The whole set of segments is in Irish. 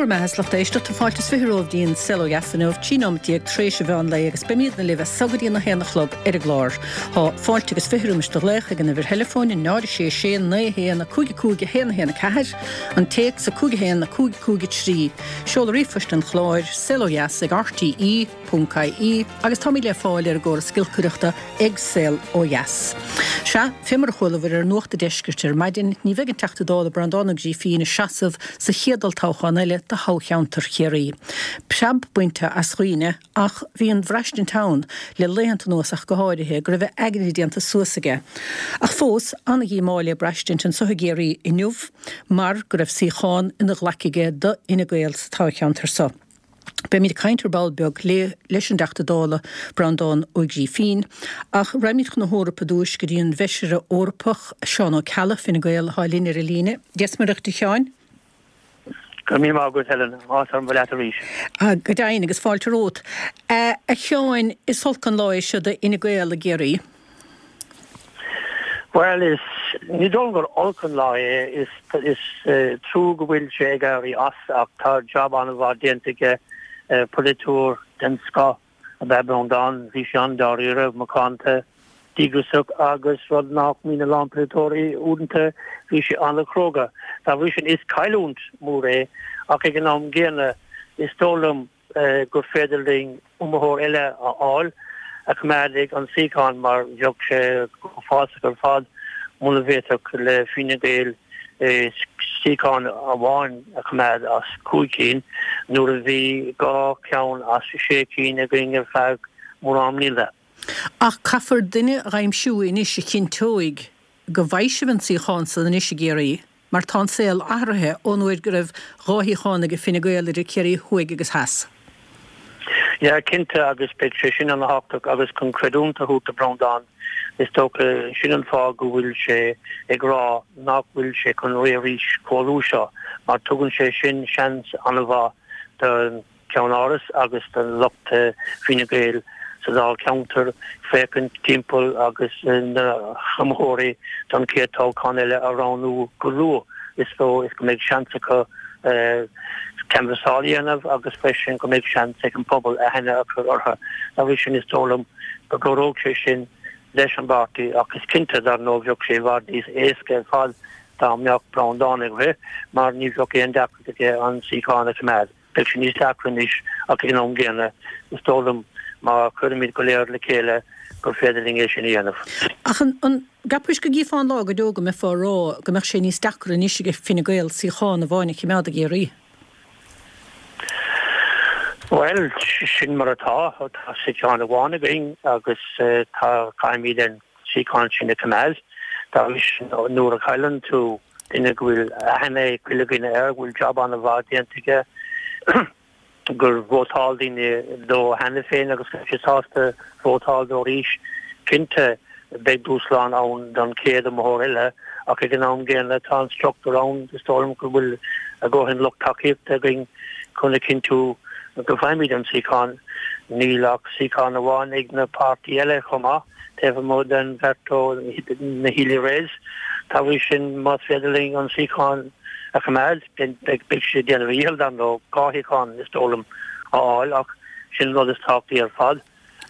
bhur mbeatha is lucht éisteachta, fáilte is 20 romhaibh dtí an Saol Ó Dheas inniu, 13 nóimeat tar éis an mheán lae agus beimídne libh as so go dtí an 1 a chlog ar an gclár. Tá fáilte agus 20 roimis do ghlaoch ag an uimhir theileafóin, 0 6 6 9 1 5 5 1 1 4, an téacs 5 1 5 5 3, seoladh ríomhphoist an chláir, saolodheas ag rte. ponc ie agus táimid le fáil ar an gcóras giolcaireachta ag Saol Ó Dheas. Sea, fé mar a chualabhair ar Nuacht a' Deiscirt ar maidin, ní bheidh an Teachta Dála Breandán Ó Grífín ag seasamh sa chéad olltoghchán eile do thoghcheantar Chiarraí. Preab bainte as dhaoine ach bhí an bhraistint ann, le laethanta anuas ach go háirithe, go raibh a aigne déanta suas aige. Ach fós, an-dhíomá le braistint anso i gCiarraí inniu mar go raibh suíochán ina ghlaic aige do Fhine Gael sa toghcheantar so. Beimid ag caint ar ball beag leis an dTeachta Dála Breandán Ó Grífín, ach raghaimid chun na hEorpa ar dtúis go dtí an bhFeisire Eorpach, Seán Ó Ceallaigh, Fine Gael, atá linn ar an líne. Dia 's Muire dhuit a Sheáin. Go raibh míle maith agat, Helen. Áthas orm bheith leat arís. Go deimhin, agus fáilte romhat. A Sheáin, is olc an lá é seo do Fhine Gael i gCiarraí. Bhuel, is, ní dóigh liom gur olc an lá é, is, is trua go bhfuil sé ag éirí as ach tá jab an-mhaith déanta aige, polaiteoir den scoth ab ea Breandán, bhí sé an-dáiríre, macánta, díograiseach agus rud nach mbíonn a lán polaiteoirí uaireanta, bhí sé an-chróga. Dá bhrí sin is cailliúint mhór é ach ag an am gcéanna is dóigh liom, gur féidir linn iomaitheoir eile a fháil a choimeádfaidh an suíochán mar bheadh sé uafásach ar fad muna bhféadfadh le Fine Gael suíochán amháin a choimeád as 5 cinn nuair a bhí 2 cheann as 6 cinn againn ar feadh mórán mblianta. Ach caithfear duine a aimsiú anois a chinnteoidh go bhfaighidh sibh an suíochán san anois i gCiarraí, mar tá an saol athraithe ón uair go raibh 2 shuíochán ag Fine Gael idir Ciarraí Thuaidh agus Theas. Yeah, cinnte, agus beidh sé sin ana-thábhachtach agus chun creidiúint a thabhairt do Breandán, is dócha, sin an fáth go bhfuil sé ag rá nach bhfuil sé chun rith arís chomh luath seo, mar tugann sé sin seans ana-mhaith don Cheann-Áras agus do lucht Fine Gael sa Dáilcheantar féachaint timpeall agus na hiomaitheoirí don chéad toghchán eile a roghnú go luath is dóigh is go mbeidh seans acu canbhasáil a dhéanamh agus freisin go mbeidh seans ag an bpobal aithne a chur orthu. Dá bhrí sin is dóigh liom go gcabhródh sé sin leis an bpáirtí ach is cinnte dar ndóigh bheadh sé i bhfad níos éasca ar fad dá mbeadh Breandán ag rith mar ní bheadh aon deacracht aige an suíochán a choimeád. Beidh sé níos deacra anois ach ag an am gcéanna is dóigh liom má chuirimid go léir le chéile gur féidir linn é sin a dhéanamh. Ach an gceapais go gcífeá an lá go deo go mbeifeá ag rá go mbeadh sé níos deacra anois ag Fine Gael suíochán amháin a choimeád i gCiarraí? Bhuel, sin mar atá. Tá suíochán amháin againn agus tá, caithfimid an suíochán sin a choimeád. Dá bhrí sin, nuair a chailleann tú duine go bhfuil aithne ag chuile dhuine air, go bhfuil jab an-mhaith déanta aige, gur vótáil daoine dó cheana féin agus go raibh siad sásta vótáil dó arís. Cinnte, beidh dúshlán ann don chéad iomaitheoir eile ach ag an am gcéanna tá an struchtúr ann, is dóigh liom go bhfuil a dhóthain lucht tacaíochta againn chun a chinntiú go bhfaighimid an suíochán. Níl ach suíochán amháin ag na páirtí eile chomh maith. taobh amuigh den bheirt ó na Healy-Raes. Dá bhrí sin, más féidir linn an suíochán a choimeád, beidh sé ag déanamh a dhícheall, dar ndóigh, 2 shuíochán, is dóigh liom, a fháil ach sin an rud is tábhachtaí ar fad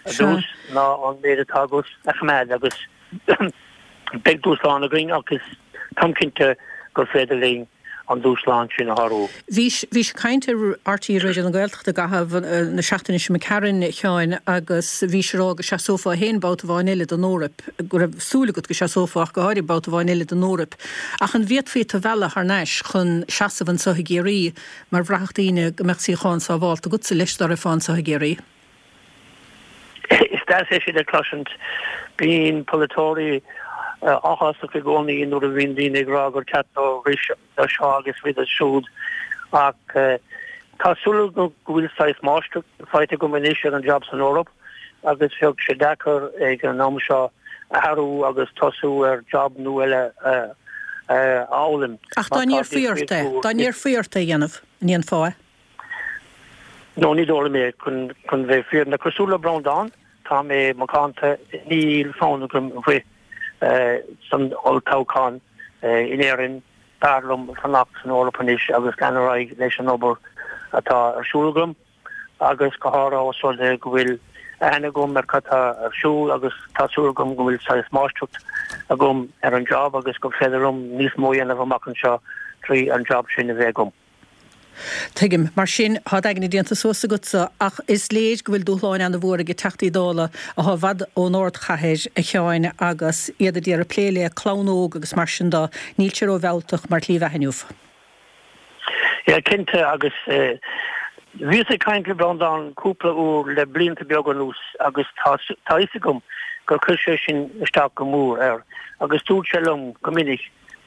ar dtús ná an méid atá agat a choimeád agus beidh dúshlán againn ach is táim cinnte gur féidir linn an dúshlán sin a shárú. Bhís, bhís ag caint ar RTÉ Raidió na Gaeltachta i gcaitheamh na seachtaine seo imigh tharainn, a Sheáin, agus bhís ag rá go seasófá féin babhta amháin eile don Eoraip, go raibh súil agat go seasófá ach go háirithe babhta amháin eile don Eoraip. Ach an bhféadfaí tu a mhealladh thar n-ais chun seasamh anso i gCiarraí mar bhraithfeadh daoine go mbeadh suíochán sábhálta agatsa leis dá rithfeá anso i gCiarraí? Is deas é sin a chloisint. Bíonn polaiteoirí áthasach i gcónaí nuair a bhíonn daoine ag rá gur ceart dóibh rith do seo agus rith do siúd ach tá súil agam go bhfuil saghas máistreacht faighte agam anois ar an jab san Eoraip agus bheadh sé deacair ag an am seo athrú agus tosú ar jab nua eile a fhoghlaim. Ach dá n-iarrfaí ort é, dá n-iarrfaí ort é a dhéanamh, an ndéanfá é? No, ní dóigh liom é, chun bheith fírinneach. Cosúil le Breandán, tá mé macánta, níl fonn agam rith san olltoghchán in Éirinn. B'fhearr liom fanacht san Eoraip anois agus lean ar aghaidh leis an obair. atá ar siúl agam agus go háirithe ós rud é go bhfuil aithne agam ar cad tá ar siúl agus tá súil agam go bhfuil saghas máistreacht agam ar an job agus gur féidir liom níos mó a dhéanamh amach anseo trí an job sin a bheith agam. Tuigim. Mar sin, tá d'aigne déanta suas agatsa, ach is léir go bhfuil dúshláin ana-mhór ag Teachtaí Dála athá i bhfad ón ardchathair, a Sheáin, agus iad a d'iarraidh plé le clann óg agus mar sin do. Níl sé ró-mhealltach mar shlí bheatha inniu. Yeah, cinnte, agus bhíos ag caint le Breandán cúpla uair le blianta beaga anuas agus tá tá fhios agam gur chuir sé sin isteach go mór air agus dúirt sé liom go minic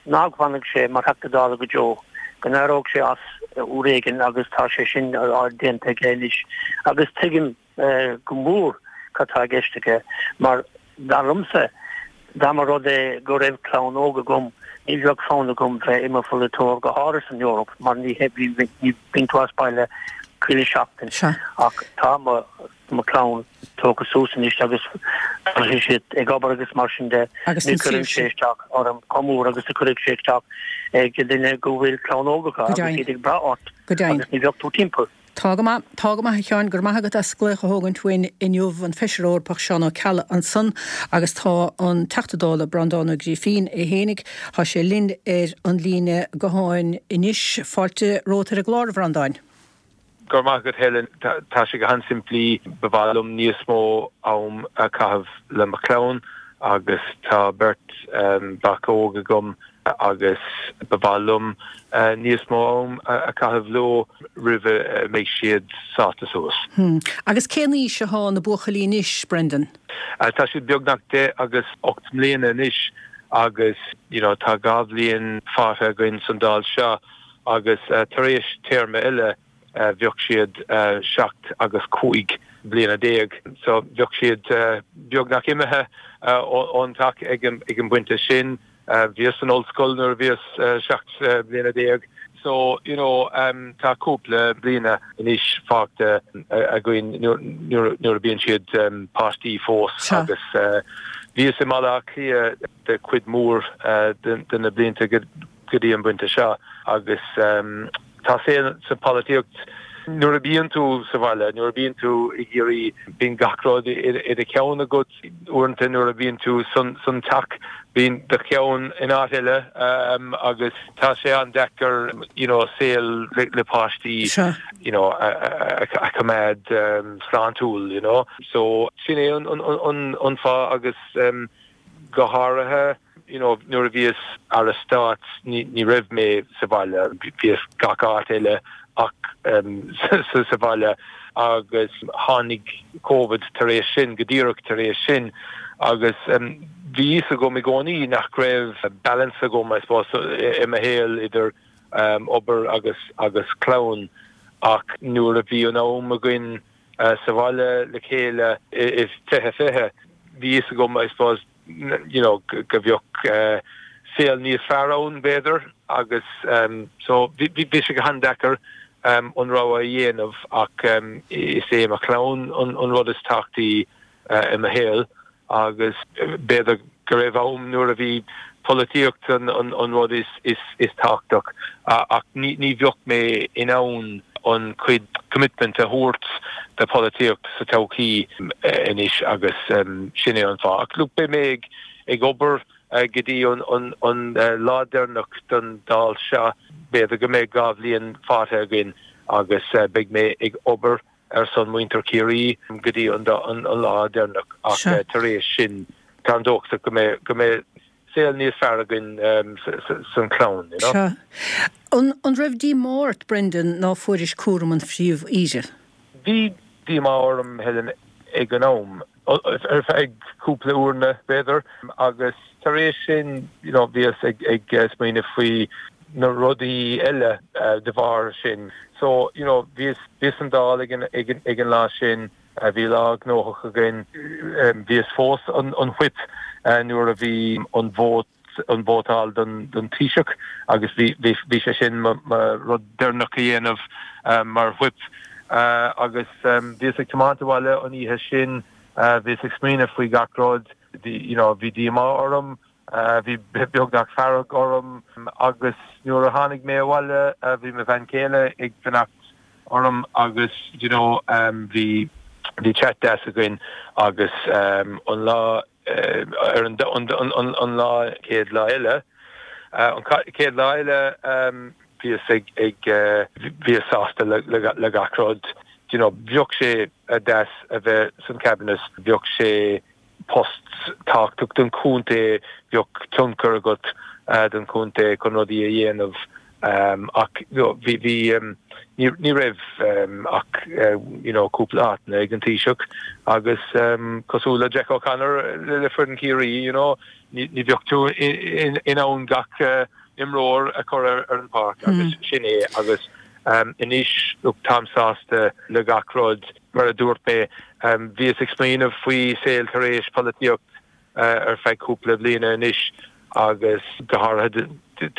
nach bhfanfadh sé mar Theachta Dála go deo, go n-éireodh sé as uair éigin agus tá sé sin déanta aige anois agus tuigim go mór cad tá i gceist aige mar dar liomsa dá mba rud é go raibh clann óg agam ní bheadh fonn agam bheith i mo pholaiteoir go háirithe san Eoraip mar ní bíonn tú as baile chuile sheachtain ach tá mo mo chlann tógtha suas anois agus tá siad ag obair agus mar sin de. Ní chuireann sé isteach orm chomh mór agus a chuirfeadh sé isteach ag duine go bhfuil clann óg acu agus iad ag brath ort agus ní bheadh tú timpeall. Tá go maith, tá go maith a Sheáin, go raibh maith agat as glaoch a thógaint uainn inniu, an Feisire Eorpach Seán Ó Ceallaigh ansan agus tá an Teachta Dála Breandán Ó Grífín é fhéinig, tá sé linn ar an líne gutháin anois. Fáilte romhat ar an gclár, a Bhreandáin. Go raibh maith agat Helen. Tá sé go han-simplí, ba mhaith liom níos mó am a chaitheamh le mo chlann agus tá beirt mhac óg agam agus ba mhaith liom níos mó am a chaitheamh leo roimh a mbeidh siad sáite suas. Agus cén aois athá na buachaillí anois, Brendan? Tá siad beagnach 10 agus 8 mbliana anois agus you know tá 2 bhliain fágtha againn san Dáil seo agus tar éis téarma eile bheadh siad 7 agus 15 bliana. So bheadh siad beagnach imithe ón teach ag an bpointe sin. Bhíos san ollscoil nuair a bhíos 17 bliana. So, you know, tá cúpla bliana anois fágtha againn nuair a bíonn siad páistí fós agus bhíos i mBaile Átha Cliath de chuid mhór de na blianta go go dtí an bpointe seo agus tá saol sa pholaitíocht nuair a bíonn tú sa bhaile, nuair a bíonn tú i gCiarraí, bíonn gach rud i do cheann agat. Uaireanta nuair a bhíonn tú san teach bíonn do cheann in áit eile agus tá sé an-deacair you know saol le páistí you know a choimeád sláintiúil you know. So sin é an fáth agus Go háirithe, you know, nuair a bhíos Aire Stáit ní raibh mé sa bhaile, bhíos gach áit eile ach sa bhaile agus tháinig Covid tar éis sin, go díreach tar éis sin agus bhí fhios agam i gcónaí nach raibh balance agam, I suppose, i mo shaol idir obair agus agus clann ach nuair a bhí an am againn sa bhaile le chéile i 2020, bhí fhios agam, I suppose, you know, go bheadh saol níos fearr ann, b'fhéidir, agus so bhí sé go han-deacair an rogha a dhéanamh ach is é mo chlann an rud is tábhachtaí i mo shaol. agus b'fhéidir go raibh am nuair a bhí polaitíocht an rud is tábhachtach ach ní bheadh mé in ann an cuid commitment a thabhairt do polaitíocht sa todhchaí anois agus sin é an fáth. Ach look beidh mé ag obair go dtí an lá deireanach den Dáil seo, b'fhéidir go mbeidh 2 bhliain fágtha againn agus beidh mé ag obair ar son muintir Chiarraí go dtí an lá deireanach ach tar éis sin táim dóchasach go mbeidh go mbeidh saol níos fearr againn san chlann, you know. Sea. An raibh díomá ort, Brendan, ná fuairis cúram an Phríomh-Aoire? Bhí díomá orm, Helen, ag an am. ar feadh cúpla uaireanna, b'fhéidir, agus tar éis sin, you know, bhíos ag ag smaoineamh faoi na rudaí eile de bharr sin. So, you know, bhíos bhíos san Dáil ag an ag an ag an lá sin, bhí lá gnóthach againn, bhíos fós an an whip nuair a bhí an vóta an vótáil don Taoiseach agus bhí sé sin mo rud deireanach a dhéanamh mar whip agus bhíos ag tiomáint abhaile an oíche sin, bhíos ag smaoineamh faoi gach rud, you know bhí díomá orm, bhí beagnach fearg orm agus nuair a tháinig mé abhaile bhí mo bhean chéile ag fanacht. orm agus you know bhí bhí chat deas againn agus an lá ar an an lá chéad lá eile an chéad lá eile bhíos ag ag bhíos sásta le le gach rud you know bheadh sé deas a bheith san cabinet bheadh sé post tábhachtach don chontae, bheadh tionchar agat don chontae chun rudaí a dhéanamh ach bhí bhí ní raibh ach you know cúpla áiteanna ag an Taoiseach agus cosúil le Jack O'Connor le foireann Chiarraí you know ní bheadh tú in ann gach imreoir a chur ar an pháirc agus sin é agus anois look táim sásta le gach rud. Mar a dúirt mé, bhíos ag smaoineamh faoi saol tar éis polaitíocht ar feadh cúpla bliana anois agus go háirithe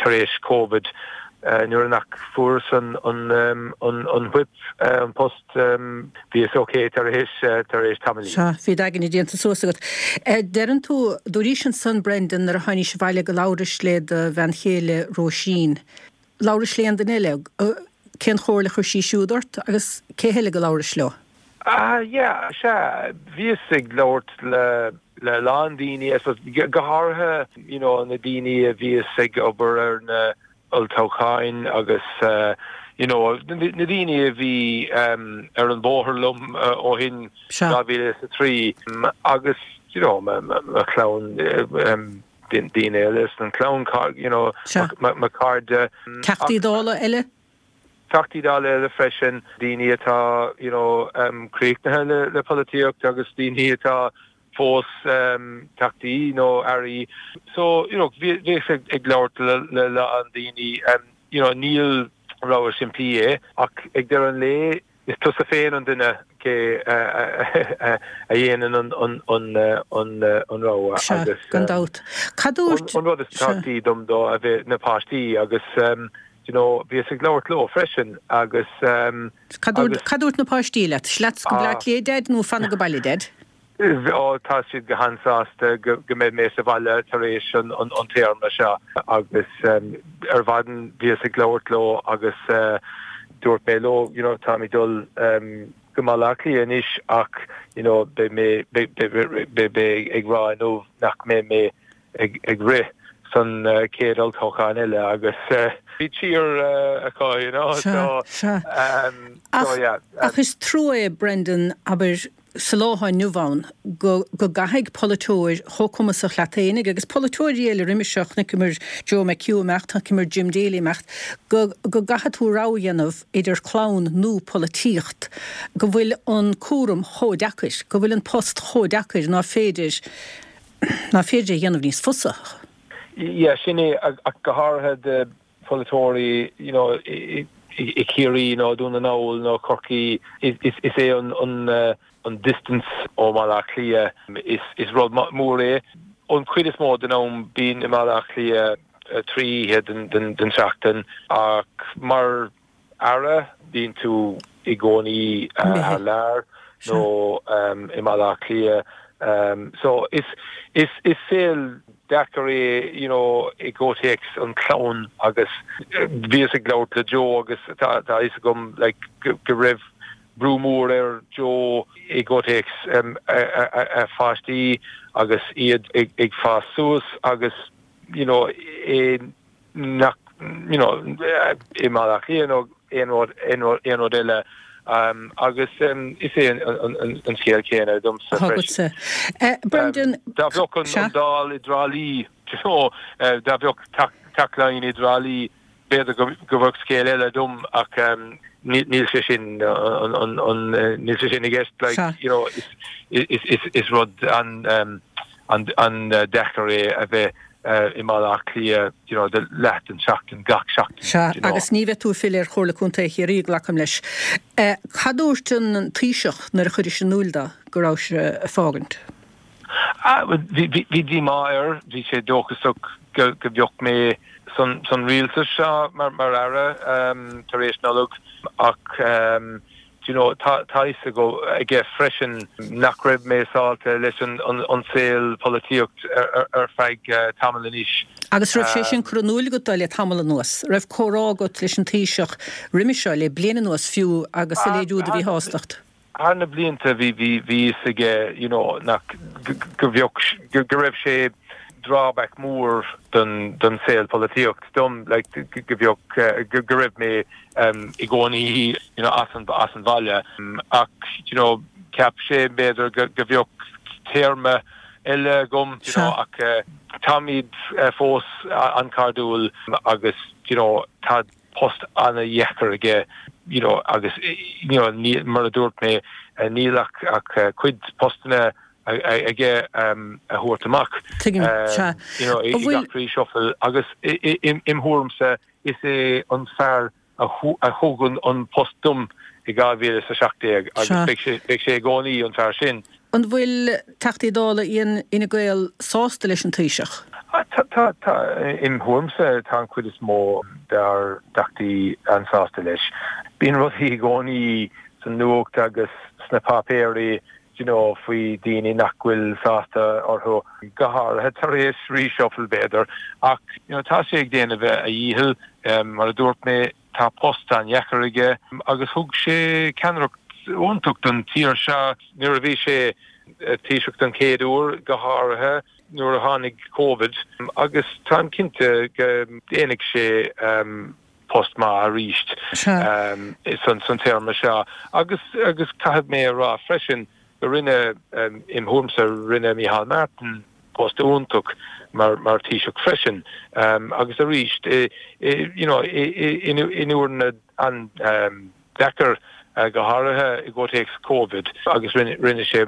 tar éis Covid nuair nach fuaireas an an whip, an post, bhíos ok tar éis tar éis tamaillín. Sea, bhí d'aigne déanta suas agat. Deireann tú, dúraís ansan, Brendan, nuair a tháinís abhaile go labhrais le do bhean chéile Róisín. Labhrais le aon duine eile? Cén chomhairle a chuir sí siúd ort agus cé heile go labhrais leo? Ah yeah, sea, bhíos ag labhairt le le a lán daoine, I suppose, go háirithe, you know, na daoine a bhíos ag obair ar na olltoghcháin agus you know, na daoine a bhí ar an bhóthar liom ó shin, 2003 agus, you know, mo chlann, daoine eile san chlann, you know, mo chairde. Teachtaí Dála eile? Teachtaí Dála eile freisin, daoine atá, you know, críochnaithe le le polaitíocht agus daoine atá fós teachtaí nó airí. So, you know, bhíos ag labhairt le le lán daoine, you know, níl rogha simplí é ach ag deireadh an lae, Is tusa féin an duine cé a dhéanann an rogha Sea, agus gan dabht. Cad dúirt. An rud is tábhachtaí dom dó a bheith na páistí agus you know bhíos ag labhairt leo freisin agus. Cad dúirt na páistí leat? Leat go Bleá Cliath, Deaid, nó fan ag baile, Deaid? Ó, tá siad go han-sásta go mbeidh mé sa bhaile tar éis an téarma seo agus ar maidin bhíos ag labhairt leo agus dúirt mé leo, you know, táim ag dul go Baile Átha Cliath anois ach, you know, beidh mé, beidh mé ag rá inniu nach mbeidh mé ag rith san chéad olltoghchán eile agus bhí cheer acu, you know, so, so yeah. Ach is trua é, Brendan, abair, sa lá atá inniu ann, go go gcaithfidh polaiteoir chomh cumasach leat fhéinig, agus polaiteoirí eile roimis seo, chonaiceamar Joe McHugh imeacht, chonaiceamar Jim Daly imeacht, go go gcaithfidh tú rogha a dhéanamh idir clann nó polaitíocht, go bhfuil an cúram chomh deacair, go bhfuil an post chomh deacair ná féidir, ná féidir é a dhéanamh níos fusa. Yeah, sin é, ach go háirithe do pholaiteoirí you know i Ciarraí nó Dún na nGall nó Corcaigh, is é an distance ó Bhaile Átha Cliath, is rud mór é. An chuid is mó den am bím i mBaile Átha Cliath 3 oíche den tseachtain ach mar Aire, bíonn tú i gcónaí thar lear nó i mBaile Átha Cliath. So is is saol deacair é you know i gcomhthéacs an chlann agus bhíos ag labhairt le Joe agus tá a fhios agam like go raibh brú mór ar Joe i gcomhthéacs a pháistí agus iad ag fás suas agus you know é nach you know i mBaile Átha Cliath nó aon rud aon rud eile agus is é an scéal céanna domsa freisin. Brendan, Dá bheadh an Dáil i dTrá Lí, you know, dá bheadh Teach Laighean i dTrá Lí, b'fhéidir go bheadh scéal eile dom ach níl sé sin níl sé sin i gceist like you know is rud an an-deacair é a bheith i mBaile Átha Cliath you know do leath den tseachtain gach seachtain. Sea, you know. Agus ní bheidh tú ag filleadh ar Chomhairle Contae Chiarraí, glacaim leis. Cad dúirt an Taoiseach nuair a chuiris in iúl dó go rabhais ag fágaint? Ah, bhí bhí díomá air, bhí sé dóchasach go go bheadh mé san san rialtas seo mar mar aire tar éis Nollag ach. you know, tá tá fhios aige freisin nach raibh mé sásta leis an an saol polaitíocht ar feadh tamall anois. Agus raibh sé sin curtha in iúil agat dó le tamall anuas? Raibh comhrá agat leis an Taoiseach roimhe seo, le bliain anuas fiú, agus ag léiriú do mhíshástacht? Thar na blianta bhí bhí bhí fhios aige you know nach go bheadh go raibh sé drawback mór don don saol polaitíocht dom like go bheadh go raibh mé i gcónaí you know as an as an bhaile ach you know cheap sé b'fhéidir go go bheadh téarma eile agam you know ach táimid fós an-chairdiúil agus you know tá post an-dheacair aige you know agus you know ní, mar a dúirt mé, níl ach ach cuid postanna aige a thabhairt amach Tuigim, sea. you know i gach reshuffle agus im thuairimse is é an fear a thug an post dom i 2017 agus beidh sé beidh sé i gcónaí an fear sin. An bhfuil Teachtaí Dála Fhine Gael sásta leis an Taoiseach? Tá, tá, tá. Im thuairimse tá an chuid is mó dár dTeachtaí an-sásta leis. Bíonn rudaí i gcónaí sa nuacht agus sna páipéirí you know faoi daoine nach bhfuil sásta orthu, go háirithe tar éis reshuffle b'fhéidir. Ach you know tá sé ag déanamh a dhícheall. Mar a dúirt mé, Tá post an-dheacair aige agus thug sé ceannaireacht iontach don tír seo nuair a bhí sé Taoiseach don chéad uair, go háirithe nuair a tháinig Covid, agus táim cinnte go ndéanfaidh sé post maith arís san téarma seo. Agus caithfidh mé a rá freisin go rinne, im thuairimse, rinne Micheál Martin post iontach mar mar Thaoiseach freisin agus arís you know in uaireanna an-deacair go háirithe i gcomhthéacs Covid agus rinne rinne sé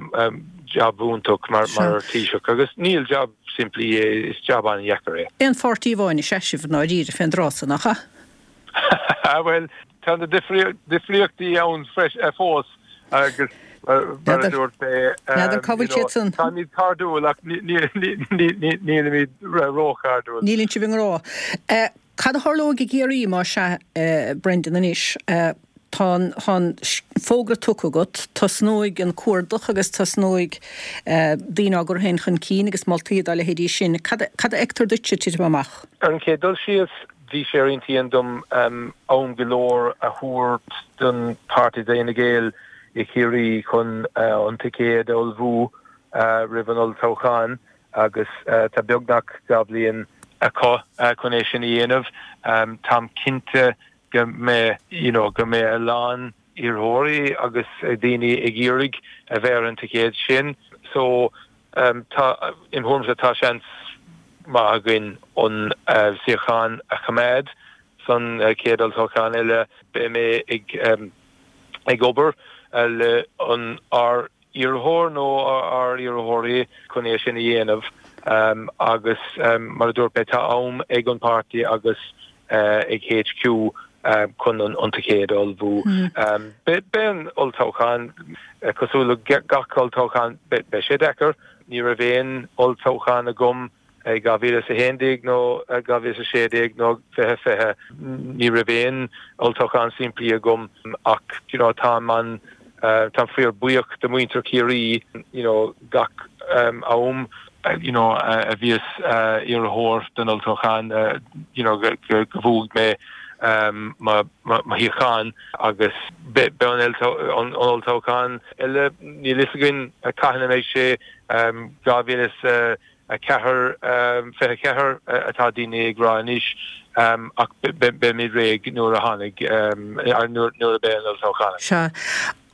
jab iontach mar mar Thaoiseach agus níl jab simplí é, is jab an-dheacair é. Aon pháirtí amháin is ea sibh i ndáiríre fén dtráth so, nach ea? Bhuel, tá na difríochtaí ann fós agus mar a dúirt mé, N'fheadar cá bhfuil siad san. Táimid cairdiúil ach nílimid róchairdiúil. Níleann sibh i ngrá. Cad a tharlóidh i gCiarraí más ea, Brendan, anois? Tá an fógra tugtha agat, tosnóidh an cuardach agus tosnóidh daoine á gcur féin chun cinn agus moltaí dá leithéidí sin. Cad a fheictear duitse ag titim amach? Ar an chéad dul síos, Bhí sé ar intinn dom am go leor a thabhairt don pháirtí d'Fhine Gael i Chiarraí chun an ticéad a ullmhú roimh an olltoghchán agus tá beagnach 2 bhliain acu chun é sin a dhéanamh. Táim cinnte go mbeidh you know go mbeidh a lán iarrthóirí agus daoine ag iarraidh a bheith ar an ticéad sin so Tá, im thuairimse, tá seans maith againn an suíochán a choimeád san chéad olltoghchán eile. Beidh mé ag ag obair le an ár iarrthóir nó ár iarrthóirí chun é sin a dhéanamh agus mar a dúirt mé tá am ag an páirtí agus ag HQ chun an ticéad a ullmhú. Beidh an olltoghchán cosúil le gach olltoghchán, beidh sé deacair. Ní raibh aon olltoghchán agam i 2011 nó 2016 nó 2020. Ní raibh aon olltoghchán simplí agam ach you know táim an táim fíor buíoch de muintir Chiarraí you know gach am you know a bhíos iarrthóir don olltoghchán you know go bhuaigh mé mo shuíochán agus beidh an olltoghchán eile níl fhios againn cathain a mbeidh sé 2000 4, 24 atá daoine ag rá anois ach beimid réidh nuair a tháinig, nuair a beidh an olltoghchán ann. Sea.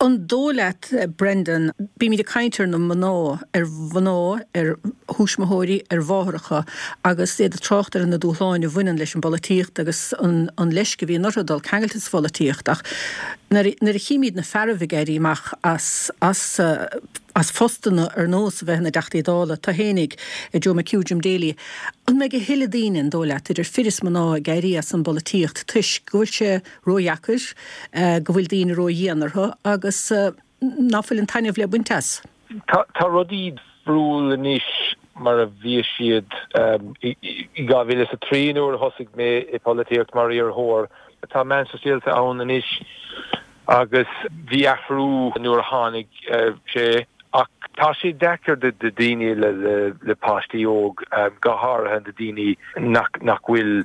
An dóigh leat, Brendan, bímid ag caint ar na mná, ar mhná, ar thuismitheoirí, ar mháithreacha agus iad ag trácht ar na dúshláin a bhaineann leis an bpolaitíocht agus an leisce a bhíonn orthu dul ceangailte sa pholaitíocht ach nuair a chímid na fearaibh ag éirí amach as, as, as phostanna ar nós a bheith ina dTeachtaí Dála, tú fhéinig, Joe McHugh, Jim Daly. An mbeidh a thuilleadh daoine, an dóigh leat, idir fir is mná, ag éirí as an bpolaitíocht toisc go bhfuil sé ródheacair, go bhfuil daoine ródhian orthu agus ná fuil an taitneamh le baint as? Tá rudaí difriúil anois mar a bhí siad i 2003 nuair a thosaigh mé i bpolaitíocht mar iarrthóir. Tá meáin sóisialta ann anois. Agus bhí athrú nuair a tháinig sé ach tá sé deacair do daoine le páistí óg, go háirithe do daoine nach bhfuil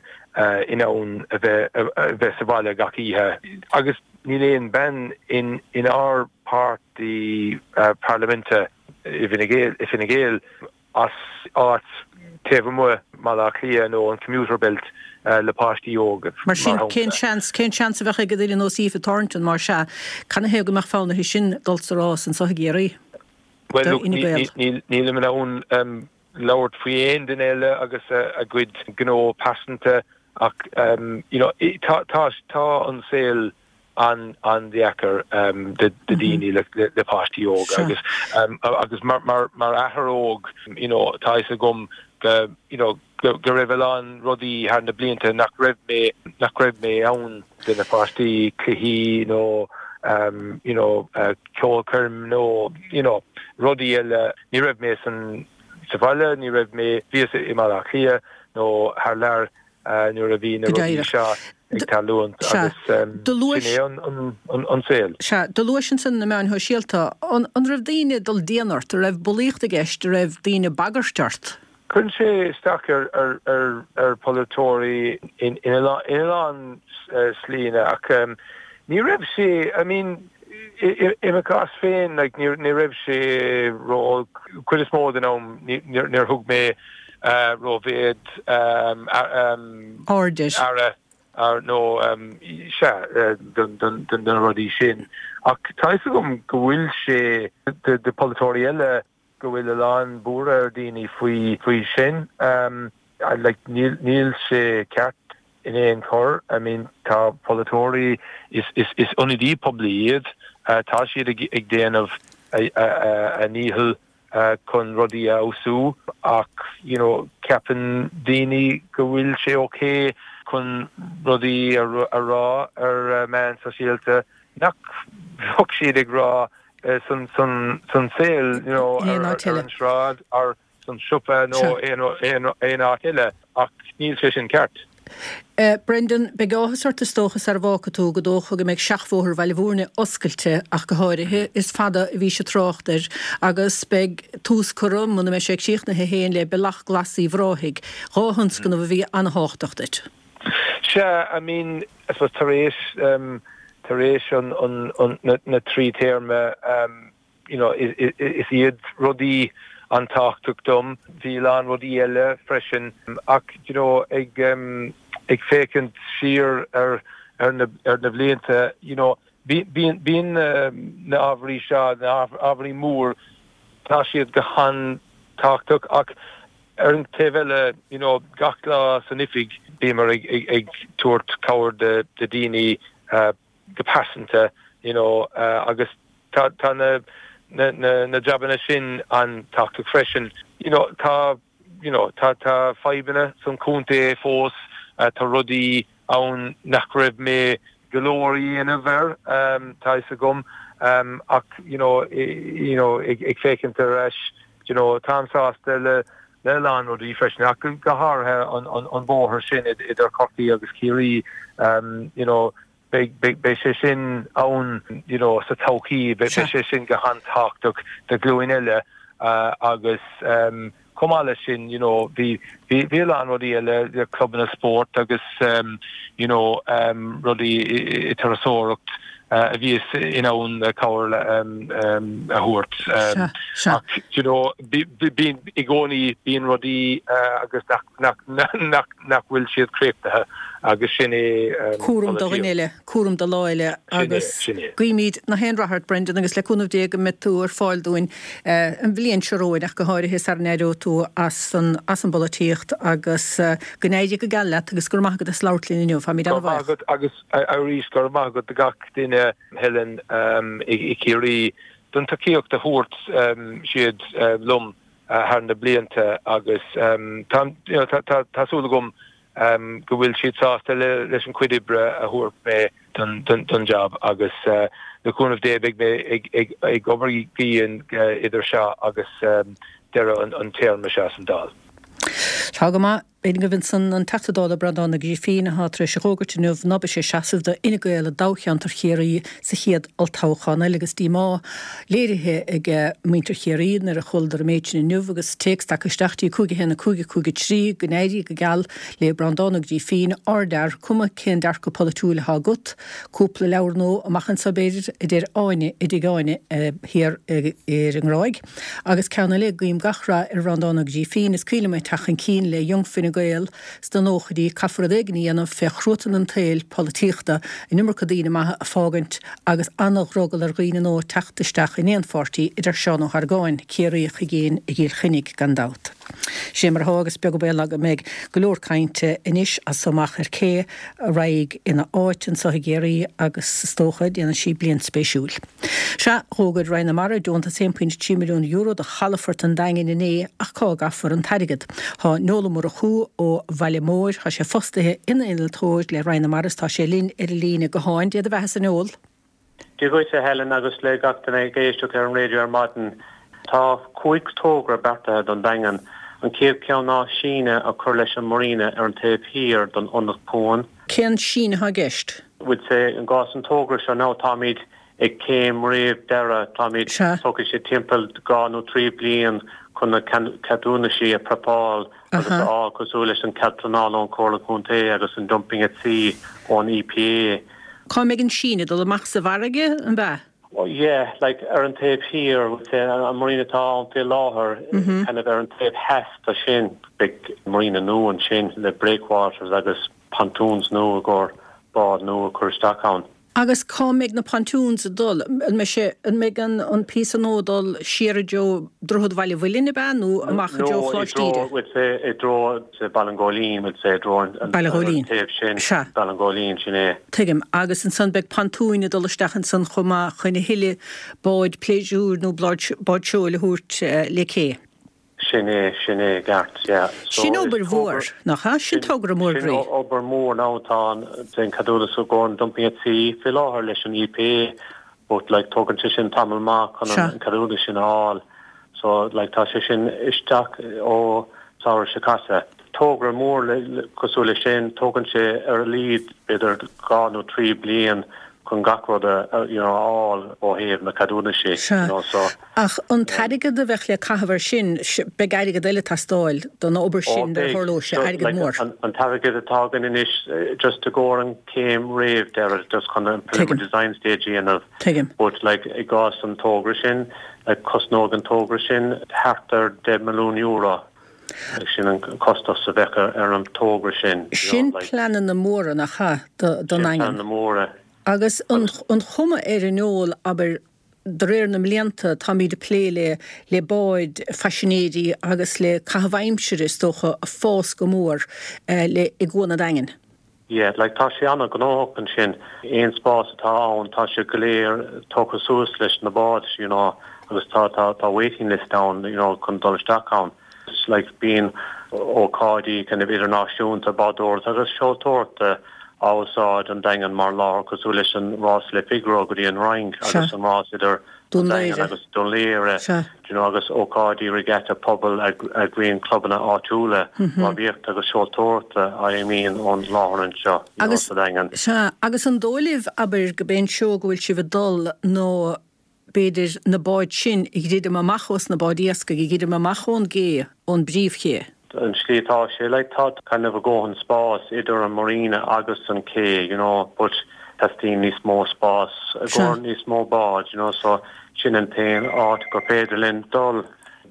in ann a bheith sa bhaile gach oíche. Agus níl aon bean in ár páirtí parlaiminte i bhFine Gael. as áit taobh amuigh mBaile Átha Cliath nó an commuter belt le páistí óga, Mar sin, cén seans, cén seans a bheadh ag duine ar nós Aoife Thornton, más ea, canathaobh go mbeadh fonn uirthi sin dul sa rás anseo i gCiarraí? Bhuel, look, nílim in ann labhairt faoi aon duine eile agus a gcuid gnó pearsanta ach, you know, tá, tá, tá an saol an-deacair do daoine le páistí óga agus agus mar mar athair óg you know tá fhios agam go you know go raibh a lán rudaí thar na blianta nach raibh mé nach raibh mé ann do na páistí, cluichí nó you know ceolchoirm nó you know rudaí eile. Ní raibh mé san sa bhaile, ní raibh mé, bhíos i mBaile Átha Cliath nó thar lear nuair a bhí na rudaí seo ag tarlúint agus sin é an saol. Sea, do luais ansan na meáin shóisialta. An raibh daoine ag dul dian ort? An raibh bulaíocht i gceist? An raibh daoine ag bagairt ort? Cuireann sé isteach ar pholaiteoirí in a lán slíanna ach ní raibh sé, I mean, i mo chás féin, like, ní raibh sé ró-olc. Cuid is mó den am níor thug mé rómhéid aire nó sea do na rudaí sin. Ach tá fhios agam go bhfuil sé do pholaiteoirí eile go bhfuil a lán buartha ar daoine faoi faoi sin. Like níl níl sé ceart in aon chor. I mean tá polaiteoirí is is is ionadaí poiblí iad. Tá siad ag ag déanamh a ndícheall chun rudaí a fheabhsú ach you know ceapann daoine go bhfuil sé ok chun rudaí a rá ar meáin sóisialta nach bheadh siad ag rá san saol you know ar an sráid ar san siopa nó aon áit eile ach níl sé sin ceart. Brendan, beidh áthas ort is dócha sara bhfágfaidh tú, go dócha go mbeidh seachbhóthar Bhaile Bhúirne oscailte ach go háirithe, is fada a bhí sé trácht air agus beidh tús curtha, muna mbeidh sé críochnaithe féin, le Bealach Glas Uíbh Ráthaigh, 2 thionscnamh a bhí an-thábhachtach duit. Sea, I mean, I suppose tar éis, tar éis an, an, an, na, na trí téarma, you know, is iad rudaí an-tábhachtach dom. Bhí a lán rudaí eile freisin ach, you know, ag, ag féachaint siar ar, ar na, ar na blianta, you know, bíonn, bíonn na ábhairí seo, na ábhairí mór, tá siad go han-tábhachtach ach ar an taobh eile, you know, gach lá san oifig bíomar ag, ag, ag tabhairt cabhair do, do daoine, go pearsanta you know agus tá tá na na na na jabanna sin an-tábhachtach freisin. You know tá you know tá tá fadhbanna san chontae fós, tá rudaí ann nach raibh mé go leor a dhéanamh air tá fhios agam ach you know you know ag ag féachaint ar ais you know táim sásta le le a lán rudaí freisin ach go háirithe an an an bóthar sin idir Corcaigh agus Ciarraí you know beidh beidh beidh sé sin ann you know sa todhchaí beidh beidh sé sin go han-tábhachtach do ghlúin eile agus chomh maith leis sin you know bhí bhí bhí a lán rudaí eile clubanna spóirt agus you know rudaí i turasóireacht a bhíos in ann cabhair a thabhairt. Ach you know bíonn i gcónaí bíonn rudaí agus nach nach bhfuil siad críochnaithe agus sin é Cúram do dhuine eile, cúram do lá eile agus guímid na haon rath ort Brendan agus le cúnamh Dé go mbeidh tú ar fáil dúinn an bhliain seo romhainn ach go háirithe sara n-éireoidh tú as an as an bpolaitíocht agus go n-éirí go geal leat agus go raibh maith agat as labhairt linn inniu. Táimid Go raibh maith an-bhuíoch. agat agus Arís, go raibh maith agat do gach duine, Helen, i Ciarraí, don tacaíocht a thabhairt siad liom thar na blianta agus tá súil agam go bhfuil siad sásta leis an chuid oibre a thabhairt mé don jab agus le cúnamh Dé beidh mé ag obair go dian idir seo agus deireadh an téarma seo san Dáil. Tá go maith. Agaibh ansan an Teachta Dála Breandán Ó Grífín atá tar éis a dh'fhógairt inniu ná beidh sé ag seasamh do Fhine Gael i dtoghcheantar Chiarraí sa chéad olltoghchán eile agus díomá léirithe ag muintir Chiarraí nuair a chualadar an méid sin inniu agus téacs tagtha isteach dtí 5 1 5 5 3 go n-éirí go geal le Breandán Ó Grífín, ardfhear, cuma cén dearcadh polaitiúil atá agat. Cúpla leabhar nua amach anseo b'fhéidir, a deir Áine i dTigh Áine thiar ar an nGráig. Agus ceann eile, guím gach rath ar Bhreandán Ó Grífín, is cuimhin liom é ag teacht chun cinn le Young Fine Gael sna nóchaidí, caithfear rud éigin a dhéanamh fé chruatan an tsaoil polaitíochta, an iomarca daoine maithe a fágaint agus ana-dhrogall ar dhaoine nua teacht isteach in aon pháirtí, a deir Seán Ó hArgáin, Ciarraíoch i gcéin i gCill Chainnigh gan dabht. Sin é mar atá agus beag an baol ná go mbeidh go leor cainte anois as so amach ar cé a raghaidh ina áit anso i gCiarraí agus is dócha déanfaidh sí bliain spéisiúil. Sea, dh'fhógair Roinn na Mara deontas €1.3 milliún do chalafort an Daingin inné ach cá gcaithfear an t-airgead? Tá Noel Ó Murchú ó Bhaile Móir, tá sé fostaithe ina innealtóir le Roinn na Mara is tá sé linn ar an líne gutháin. Dé do bheathasa a Noel. Dia dhuit a Helen agus le gach duine ag éisteacht ar an raidió ar maidin. Tá 5 togra beartaithe don Daingean. An chéad cheann ná síneadh a chur leis an marina ar an taobh thiar don ionad cuain. Cén síneadh atá i gceist? Would say i gcás an togra seo now táimid ag céim réamh deireadh, táimid, tógfaidh sé timpeall 2 nó 3 bliain chun na ceadúnaisí a prepáil agus a fháil cosúil leis an cead pleanála ón Chomhairle Contae agus an Dumping at Sea ón EPA. Cá mbeidh an síneadh? Dul amach sa bhfarraige, an ea? Yeah, like ar an taobh thiar, would say an marina atá ann faoi láthair, kind of ar an taobh theas de sin, beidh marina nua ansin le breakwaters agus pontoons nua i gcomhair bád nua a chur isteach ann. Agus cá mbeidh na pontoons ag dul? An mbeidh sé, an mbeidh an an píosa nua ag dul siar i dtreo Droichead Bhaile Mhuilinn, ab ea, nó amach i dtreo No, i Choláiste dtreo, Íde? would say, i dtreo Baile an Ghóilín, would say, i dtreo an, an, Baile an Ghóilín. taobh sin, Sea. Baile an Ghóilín, sin é. Tuigim. Agus ansan beidh pontúin ag dul isteach ansan chomh maith chun a thuilleadh báid pléisiúir nó báid seoil a thabhairt le cé. Sin é, sin é i gceart, yeah. So Sin obair mhór, nach ea? Sin togra mór Sin groí. obair mhór now, tá an an ceadúnas i gcomhair an dumping at sea faoi láthair leis an EPA but like tógann sé sin tamall maith chun an ceadúnas sin a fháil. So like tá sé sin isteach ó samhradh seo caite. Togra mór cosúil leis sin, tógann sé ar a laghad b'fhéidir 2 nó 3 bliain chun gach rud a you know a fháil ó thaobh na ceadúnaisí you know so. Ach an t-airgead a bheadh le caitheamh air sin, beidh airgead eile ag teastáil don obair sin nuair a tharlóidh sé, airgead mór. An t-airgead atá againn anois just i gcomhair an céim réamh deireadh just chun an preliminary design stage a dhéanamh. Tuigim. But like i gcás an togra sin, like cosnóidh an togra sin thart ar €10 milliún. Sin an costas a bheadh ar an togra sin. Sin pleananna móra, nach ea, don Sin Daingean. pleananna móra. Agus an chuma air a Noel, abair, de réir na mblianta, táimid ag plé le le báid phaisinéirí agus le caitheamh aimsire, is dócha, ag fás go mór le i gCuan an Daingin. Yeah, like tá sé an-ghnóthach ansin. Aon spás atá ann, tá sé go léir tógtha suas leis na báid, you know, agus tá, tá, tá waiting list ann, you know, chun dul isteach ann. Like bíonn ócáidí kind of idirnáisiúnta bádóireachta agus seoltóireachta á úsáid an Daingean mar láthair cosúil leis an rás Le Figaro go dtí an Fhrainc agus an rás idir Dún an Daingean Laoghaire. agus Dún Laoghaire, Sea. do you know, agus ócáidí regatta pobail a eagraíonn clubanna áitiúla rámhaíochta agus seoltóireachta a imíonn ón láthair anseo, you know, Agus, sa Daingean. sea, agus an dóigh libh, abair, go b'é an treo go bhfuil sibh ag dul nó b'fhéidir na báid sin a dhruidim amach ós na báid iascaigh, a dhruidim amach ón gcé, ón bpríomhché? An tslí atá sé, like, tá kind of a dhóthain spás idir an marina agus an cé, you know, but teastaíonn níos mó spás i gcomhair níos mó bád, you know, so sin an t-aon áit gur féidir linn dul,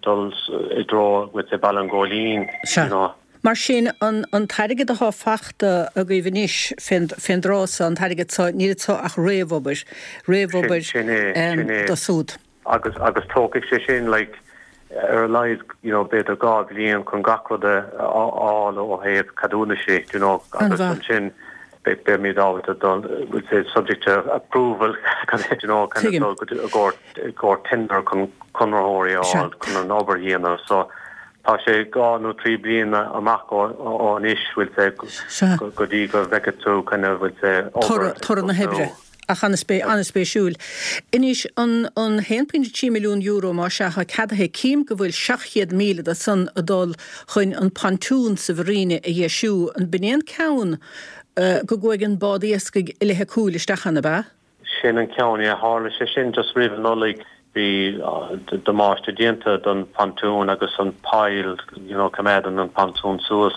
dul i dtreo with the Baile an Ghóilín, you know. Mar sin, an an t-airgead atá fachta agaibh anois fén fén dtráth so, an t-airgead so, níl anso ach réamhobair, réamhobair Sin é, sin é. do súd. Agus, agus tógfaidh sé sin like ar a laghad you know b'fhéidir 2 bhliain chun gach rud a fháil ó thaobh ceadúnaisí you know agus ansin beimid ábalta dul we'll say subject to approval you know kind of dul go dtí i gcomhair i gcomhair tender chun conraitheoirí a fháil chun an obair a dhéanamh so tá sé 2 nó 3 bliana amach ó anois we'll say go dtí go bhfeicfidh tú kind of we'll say obair Toradh na hoibre. Ach an-spéisiúil. Anois, an €1.3 milliún más ea atá ceadaithe, cím go bhfuil 700,000 de san ag dul chun an pontún sa mharina a dheisiú. An b'in é an ceann go gcuaigh an bád iascaigh i leith a cúil isteach ann, ab ea? Sin an ceann, yeah. Tharla sé sin just roimh an Nollaig. Bhí damáiste déanta don phontún agus an pile, you know, coimeádann an pontún suas.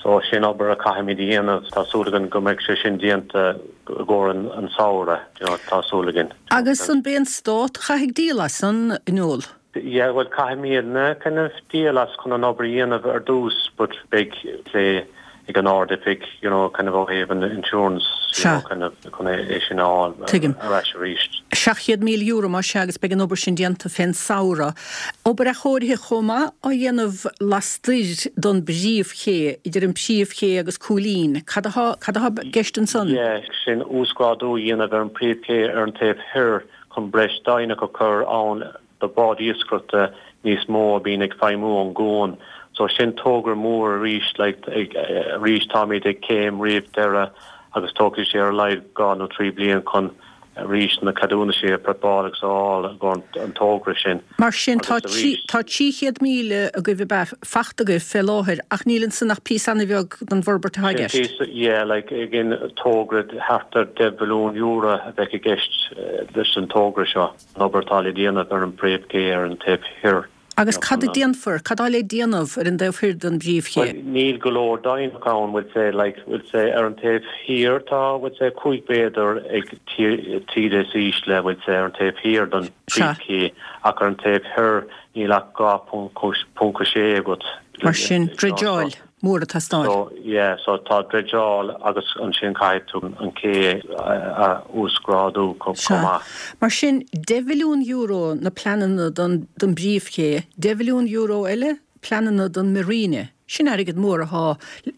So sin obair a caithfimid a dhéanamh. Tá súil againn go mbeidh sé sin déanta i gcomhair an samhradh, you know, tá súil againn. Agus an b'é an Stát a chaithfidh díol as san, a Noel? Yeah, bhuel caithfimidne kind of díol as chun an obair a dhéanamh ar dtús but beidh plé ag an Ard-Oifig, you know, kind of ó thaobh an insurance, you know, kind of chun é sin a fháil Tuigim. ar ais arís. €700,000 más ea agus beidh an obair sin déanta fén samhradh. Obair athchóirithe chomh maith á dhéanamh lastoir don bpríomhché, idir an príomhché agus Cúilín. Cad atá, cad atá i gceist ansan? Yeah, sin uasghrádú a dhéanamh ar an bpríomhché ar an taobh thoir chun breis deighineach a chur ann do báid iascaireachta níos mó a bhíonn ag feidhmiú ón gcuan. So sin togra mór arís, like, arís táimid ag céim roimh deireadh agus tógfaidh sé ar a laghad dhá nó trí bliain chun arís na ceadúnaisí a prepáil agus a fháil i gcomhair an togra sin. Mar sin tá tá 300,000 agaibh ab ea fachta agaibh fé láthair ach níl ansan ach píosa an-bheag den bhforbairt atá i Sin gceist. píosa, yeah, like, again togra thart ar €10 mhilliún a bheadh i gceist leis an togra seo. An obair atá le déanamh ar an bpríomhché ar an taobh thoir. Agus cad a déanfar, cad tá le déanamh ar an dtaobh thoir den bpríomhché? Bhuel, níl go leor deighineach ann, bhfuil sé, like, bhfuil sé, ar an taobh thiar tá, bhfuil sé, 5 mhéadar ag taoide is ísle, bhfuil sé, ar an taobh thiar den phríomhché, ach ar an taobh thoir níl ach 2.6 agat. Mar sin, dreideáil. mór ag teastáil. So, yeah, so tá dreideáil agus ansin caithfidh tú an cé a uasghrádú chomh Sea. maith. Mar sin, €10 mhilliún na pleananna don don bpríomhché, €10 mhilliún eile pleananna don marina. Sin airgead mór athá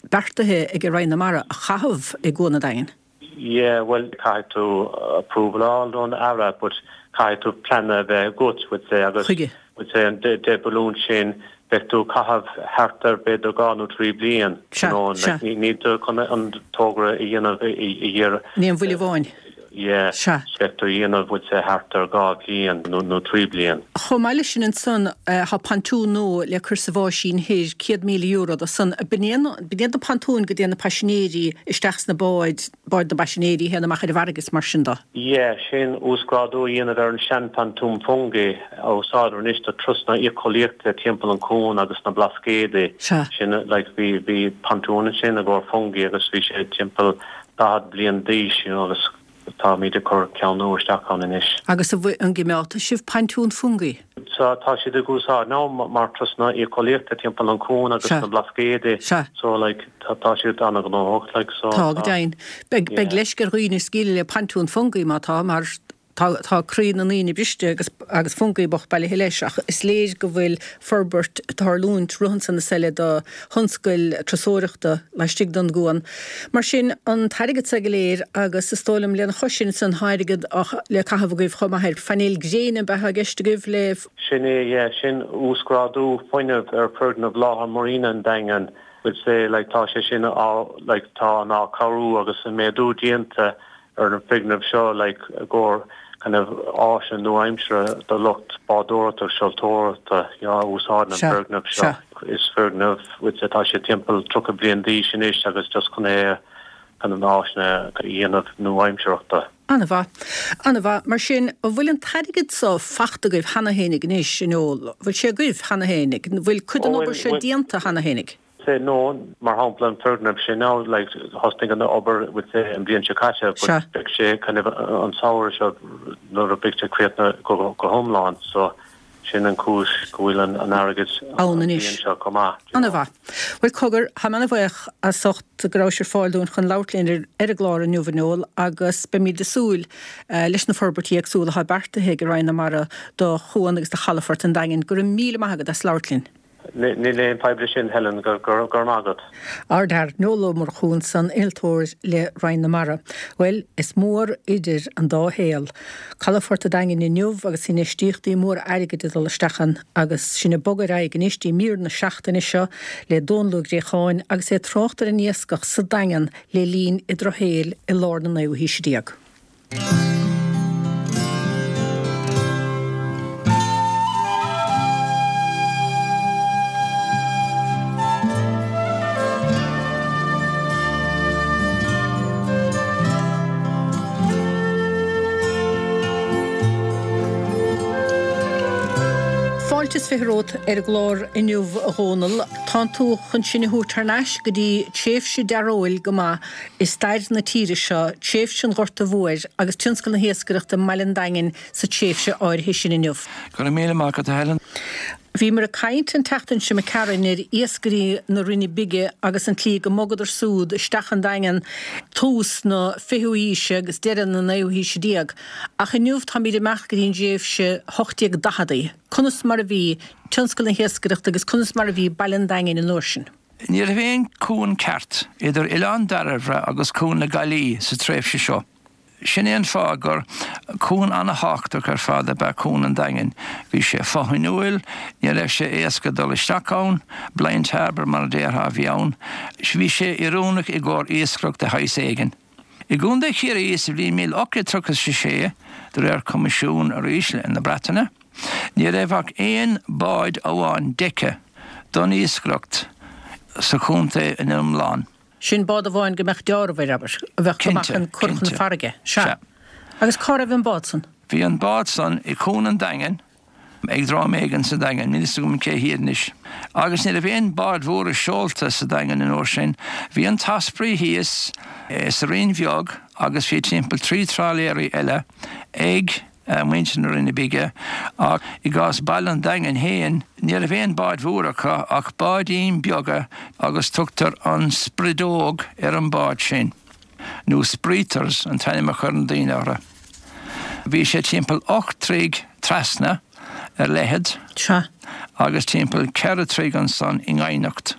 beartaithe ag Roinn na Mara a chaitheamh i gCuan an Daingin. Yeah, bhuel, caithfidh tú approval a fháil ón Aire but caithfidh tú plean a bheith agat, would say, agus Chuige. would say an 10 mhilliún sin, beidh tú ag caitheamh thart ar b'fhéidir dhá nó trí bliain, you Sea, know, sea. like níl tú chun an togra a dhéanamh i i In aon bhuille amháin. Yeah, Sea. beidh tú a dhéanamh would say thart ar dhá bhliain nó nó trí bliain. Chomh maith leis sin ansan, tá pontún nua le cur sa bháisín thoir, €100,000 do san. B'in iad na pontúin go dtéann na paisinéirí isteach sna báid, báid na bpaisinéirí a théann amach ar an bhfarraige is mar sin de. Yeah, sin uasghrádú a dhéanamh ar an sean-phontún Fungie a úsáidtear anois do turasanna éiceolaíochta timpeall an chuain agus na Blascaodaí. Sea. Sin, like, bhí, bhí pontún ansin i gcomhair Fungie agus bhí sé timpeall 40 bliain d'aois, you know, agus Táimid ag cur ceann nua isteach ann anois. Agus an bhfuil, an gcimeádfaidh sibh pontún Fungie? Sea, tá siad ag úsáid now mar turasanna éiceolaíochta timpeall an cuan agus Sea. na Blascaodaí. Sea. So like tá tá siad an-ghnóthach like so Tá, go tá deimhin. Beidh, beidh yeah. leisce ar dhaoine scaoileadh le pontún Fungie má tá, mar tá, tá croí na ndaoine briste agus, agus Fungie bocht bailithe leis ach is léir go bhfuil forbairt ag tarlúint rith ansan is eile do thionscail turasóireachta laistigh den gcuan. Mar sin, an t-airgead seo go léir agus is dóigh liom lena chois sin ansan tá airgead le caitheamh agaibh chomh maith ar phainéil gréine ab ea atá i gceist agaibh le Sin é, yeah, sin uasghrádú fuinnimh ar foirgneamh láthair Marina an Daingin, would say, like tá sé sin á, like tá an athchóiriú agus an méadú déanta ar an bhfoirgneamh seo like i gcomhair kind of áiseanna nua-aimseartha do lucht bádóireachta agus seoltóireachta you know a úsáideann an Sea, foirgneamh seo. sea. Is foirgneamh would say tá sé timpeall 30 bliain d'aois anois agus just chun é kind of na áiseanna a dhéanamh nua-aimsearthachta. An-mhaith. An-mhaith. Mar sin, an bhfuil an t-airgead seo fachta agaibh cheana fhéinig anois, a Noel? Bhfuil sé agaibh cheana fhéinig? Bhfuil cuid den Ó obair bhuel, seo bhuel, déanta cheana fhéinig? say no, mar shampla an foirgneamh sin now like thosnaigh an obair would say an bhliain seo caite but Sea. beidh sé kind of an samhradh seo nuair a beidh sé críochnaithe go go hiomlán so sin an cúis go bhfuil an an airgead Ann an anois. bhliain seo chomh maith, do you know. An-mhaith. Bhuel cogar, táim an-bhuíoch as ucht go rabhais ar fáil dúinn chun labhairt linn ar ar an gclár inniu a Noel agus beimid ag súil leis na forbairtí éagsúla atá beartaithe ag Roinn na Mara do Chuan agus do Chalafort an Daingin. Go raibh míle maith agat as labhairt linn. Níl aon fadhb leis sin, Helen, go raibh maith agat. Ardfhear Noel Ó Murchú ansan, innealtóir le Roinn na Mara. Bhuel, is mór idir an dá shaol. Calafort an Daingin inniu agus infheistíochtaí móra airgid ag dul isteach ann agus sinn ag bogadh ar aghaidh anois dtí mír na seachtaine seo le Dónal Ó Gréacháin agus é ag trácht ar an iascach sa Daingean le linn an drochshaoil i lár na naoú haoise déag. Fáilte is 20 romhat ar an gclár inniu a Dhónaill. Tánn tú chun sinn a thabhairt thar n-ais go dtí tréimhse dearóil go maith i stair na tíre seo, tréimhse an Ghorta Mhóir agus tionscal na hiascaireachta i mbaile an Daingin sa tréimhse áirithe sin inniu. Go raibh míle maith agat a Helen. Bhíomar ag caint an tseachtain seo imigh tharainn ar iascairí na Rinne Bige agus an tslí go mbogadar súd isteach an Daingean tús na fichiú haoise agus deireadh na naoú haoise déag. Ach inniu táimid ag imeacht go dtí an dtréimhse 1840idí. Conas mar a bhí tionscal na hiascaireachta agus conas mar a bhí Baile an Daingin an uair sin? Ní raibh aon cuan ceart idir Oileán Dairbhre agus Cuan na Gaillí sa tréimhse seo. Sin é an fáth gur cuan ana-thábhachtach ar fad ab ea Cuan an Daingin. Bhí sé fothainiúil, ní raibh sé éasca dul isteach ann, blind harbour mar a déarfá a bhí ann. Bhí sé oiriúnach i gcomhair iascaireacht de shaghas éigin. I gContae Chiarraí sa bhliain 1836, de réir coimisiún arís na Breataine, ní raibh ach aon bád amháin deice don iascaireacht sa chontae ina iomlán. Sin bád amháin go mbeadh deáramh air, abair, a bheadh go maith chun cur chun na farraige. Sea. Agus cá raibh an bád san? Bhí an bád san i Cuan an Daingin, ag dream éigin sa Daingean, níl fhios agam cé hiad anois. Agus ní raibh aon báid mhóra seolta sa Daingean an uair sin. Bhí an tOsprey thíos sa Rinn Bheag agus bhí timpeall 3 trálaeirí eile ag. muintir na Rinne Bige, ach i gcás Baile an Daingin féin, ní raibh aon báid mhóra acu ach báidín beaga agus tugtar an Sprideog ar an bád sin, nó Spreeters an t-ainm a chuireann daoine orthu. Bhí sé timpeall 8 dtroigh trasna ar leithead agus timpeall 4 troigh ansan i ndoimhneacht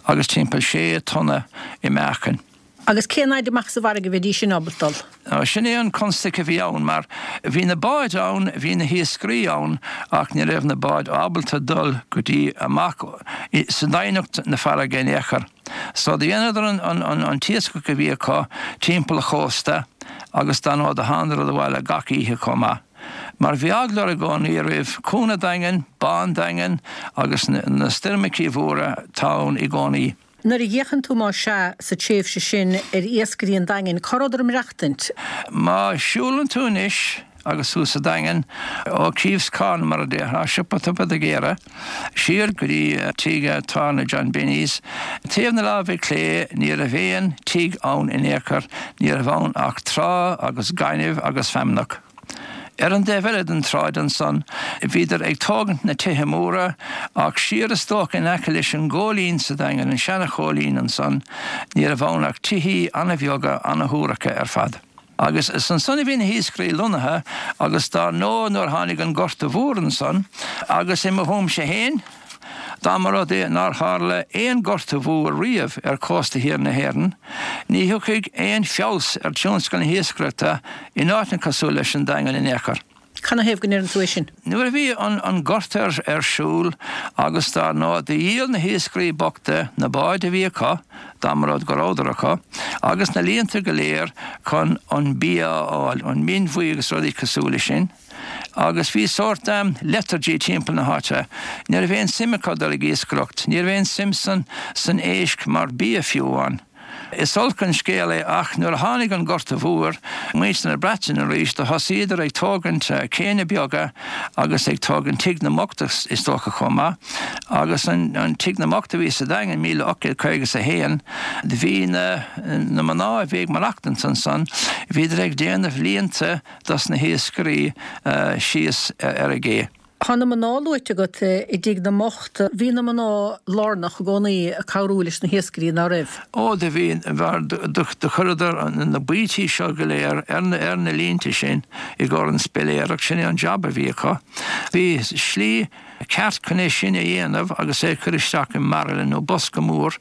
agus timpeall 6 tonna i meáchan. Agus cén fhaid amach sa bhfarraige a bheidís sin ábalta dul? Sin é an constaic a bhí ann, mar bhí na báid ann, bhí na hiascairí ann, ach ní raibh na báid ábalta dul go dtí amach sa doimhneacht na farraige in aon chor. So do dheineadar an t-iascach a bhí acu timpeall an chósta agus dar ndóigh do thánadar abhaile gach oíche chomh maith. Mar bhí eagla orthu i gcónaí roimh Cuan an Daingin, Bá an Daingin agus na stoirmeachaí mhóra atá ann i gcónaí. Nuair a fhéachann tú, más ea, sa tréimhse sin ar iascairí an Daingin, cá rabhadar ag maireachtaint? Má shiúlann tú anois agus tú sa Daingean, ó Keefe's Corner, mar a déarfá, Siopa Tiobraid Ag siar go dtí tigh tábhairne John Binny's, taobh na láimhe clé, ní raibh aon tigh ann in aon chor, ní raibh ann ach trá agus gaineamh agus feamnach. Ar an dtaobh eile den tsráid ansan bhíodar ag tógaint na tithe móra ach siar is dócha in aice leis an gCóilín sa Daingean, an seana-Chóilín ansan, ní raibh ann ach tithí ana-bheaga, ana-shuaracha ar fad. Agus is ansan a bhí na hiascairí lonnaithe agus dár ndóigh nuair a tháinig an Gorta Mhór ansan agus i mo thuairimse fhéin, Dá mba rud é nár tharla aon Ghorta Mhór riamh ar chósta thiar na hÉireann, ní thiocfaidh aon feabhas ar tionscal na hiascaireachta in áiteanna cosúil leis an Daingean in aon chor. Canathaobh go ndeireann tú é sin? Nuair a bhí an Gorta ar siúl agus dar ndóigh do dhíol na hiascairí bochta na báid a bhí acu, dá mba rud go rabhadar acu, agus na líonta go léir chun an bia a fháil, an mhin bhuí agus rudaí cosúil leis sin. Agus bhí sórt lethargy timpeall na háite. Ní raibh aon suim acu dul ag iascaireacht. Ní raibh aon suim san san éisc mar bia fiú amháin. Is olc an scéal é ach nuair a tháinig an Gorta Mhór, muintir na Breataine arís, do thosaíodar ag tógaint céanna beaga agus ag tógaint Tigh na mBocht is dócha chomh maith. Agus an Tigh na mBocht a bhí sa Daingean, 1851, bhí na na mná a bhí ag maireachtaint ansan, bhíodar ag déanamh líonta dos na hiascairí síos ar an gcé. Tá na mná luaite agat i dTigh na mBocht. Bhí na mná lárnach i gcónaí ag cabhrú leis na hiascairí, ná raibh? Ó, do bhí, mar do chuireadar na baoití seo go léir ar na línte sin i gcomhair an spiléireacht, sin é an jab a bhí acu. Bhí slí ceart chun é sin a dhéanamh agus é a chur isteach i mbairille nó bosca mór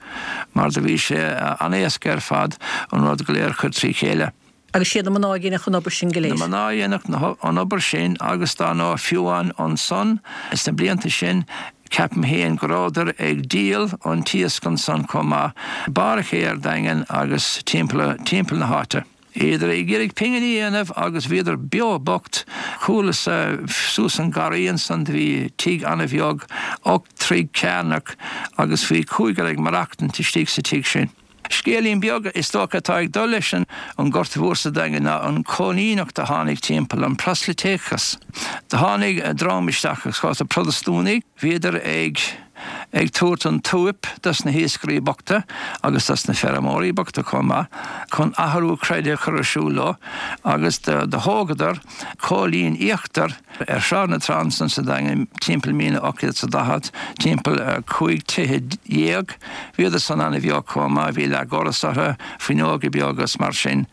mar do bhí sé an-éasca ar fad an rud go léir a chur trí chéile. Agus siad na mná a dhéanfadh an obair sin go léir. Na mná a dhéanfadh an obair sin agus dar ndóigh fiú amháin ansan sna blianta sin ceapaim féin go rabhadar ag díol an t-iasc ansan chomh maith, Barr an Ché ar Daingean agus timpeall na háite. Bhíodar ag iarraidh pinginí a dhéanamh agus bhíodar beo bocht. Chualas-sa suas an garraí ansan do bhí tigh ana-bheag, 8 dtroigh cearnach agus bhí cúigear ag maireachtaint istigh sa tigh sin. Scéilín beag, is dócha, atá ag dul leis an Ghorta Mhór sa Daingean ná an choilíneacht a tháinig timpeall, an proslaitéachas. Do tháinig dream isteach agus go háirithe Protastúnaigh, bhíodar ag ag tabhairt an tsuip dos na hiascairí bochta agus dos na feirmeoirí bochta chomh maith chun athrú creidimh a chur ar siúl leo agus do thógadar Cóilín Íochtar ar Shráid na Trá ansan sa Daingean timpeall 1840, timpeall 15 tithe. Bhíodar san ana-bheag chomh maith, bhí leathdhoras orthu, fuinneoga beaga is mar sin.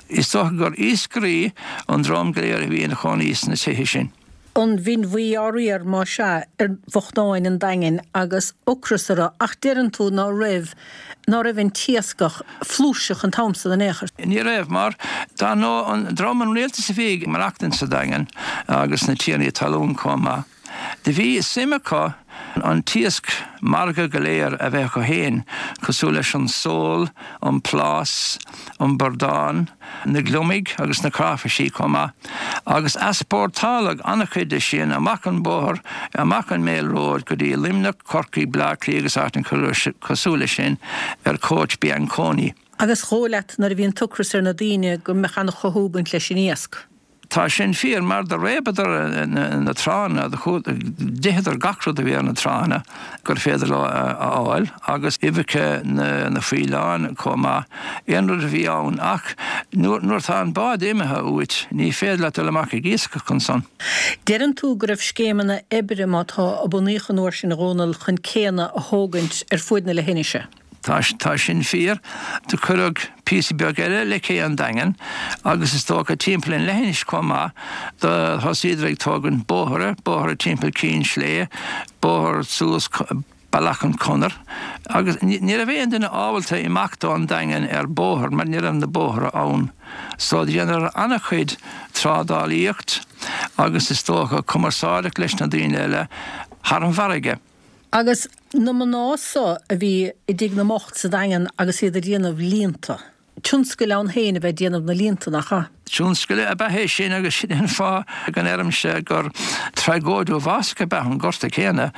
Is dócha gur iascairí an dream go léir a bhí ina chónaí sna tithe sin. An bhinn bhuí á riar, más ea, ar bhochtáin an Daingin agus ocras orthu, ach deireann tú ná raibh, ná raibh an t-iascach flúirseach an t-am san in aon chor. Ní raibh, mar dar ndóigh an dream an rialtas a bhí ag maireachtaint sa Daingean agus na tiarnaí talún chomh maith. Do bhí suim acu an t-iasc margaidh go léir a bheith acu féin, cosúil leis an sól, an plás, an bradán, na gliomaigh agus na cráifisí chomh maith, agus easpórtáladh an-chuid de sin amach an bóthar, amach an Mail Road go dtí Luimneach, Corcaigh, Bleá Cliath agus áiteanna cosúil leis sin ar chóits Bianconi. Agus dhóigh leat nuair a bhí an t-ocras ar na daoine go mbeadh an-chothú ag baint leis an iasc. Tá sin fíor, mar do réabadar na tránna, d'itheadar gach rud a bhí ar na tránna gur féidir leo a fháil, agus uibheacha na bhfaoileán chomh maith, aon rud a bhí ann. Ach nuair atá an bád imithe uait, ní féidir leat dul amach ag iascach ansan. Deireann tú go raibh scéimeanna oibre, má tá, a bunaíodh an uair sin, a Dhónaill, chun céanna a thógaint ar fuaid na leithinise. Tá, tá sin fíor. Do cuireadh píosa beag eile le cé an Daingin agus is dócha timpeall an leithinis chomh maith. Do thosaíodar ag tógaint bóithre, bóithre timpeall Cinn Slé, bóthar suas Bealach an Chonair agus ní raibh aon duine ábalta imeacht ón Daingean ar bóthar mar ní raibh na bóithre ann. So dheineadar an-chuid trádálaíocht agus is dócha cumarsáideacht leis na daoine eile thar an bhfarraige. Agus na mná so a bhí i dTigh na mBocht sa Daingean agus iad ag déanamh líonta. Tionscail ann féin a bheith ag déanamh na líonta, nach ea? Tionscal ab ea é sin agus sin é an fáth go ndeirimse gur tragóid uafásach ab ea an Gorta céanna.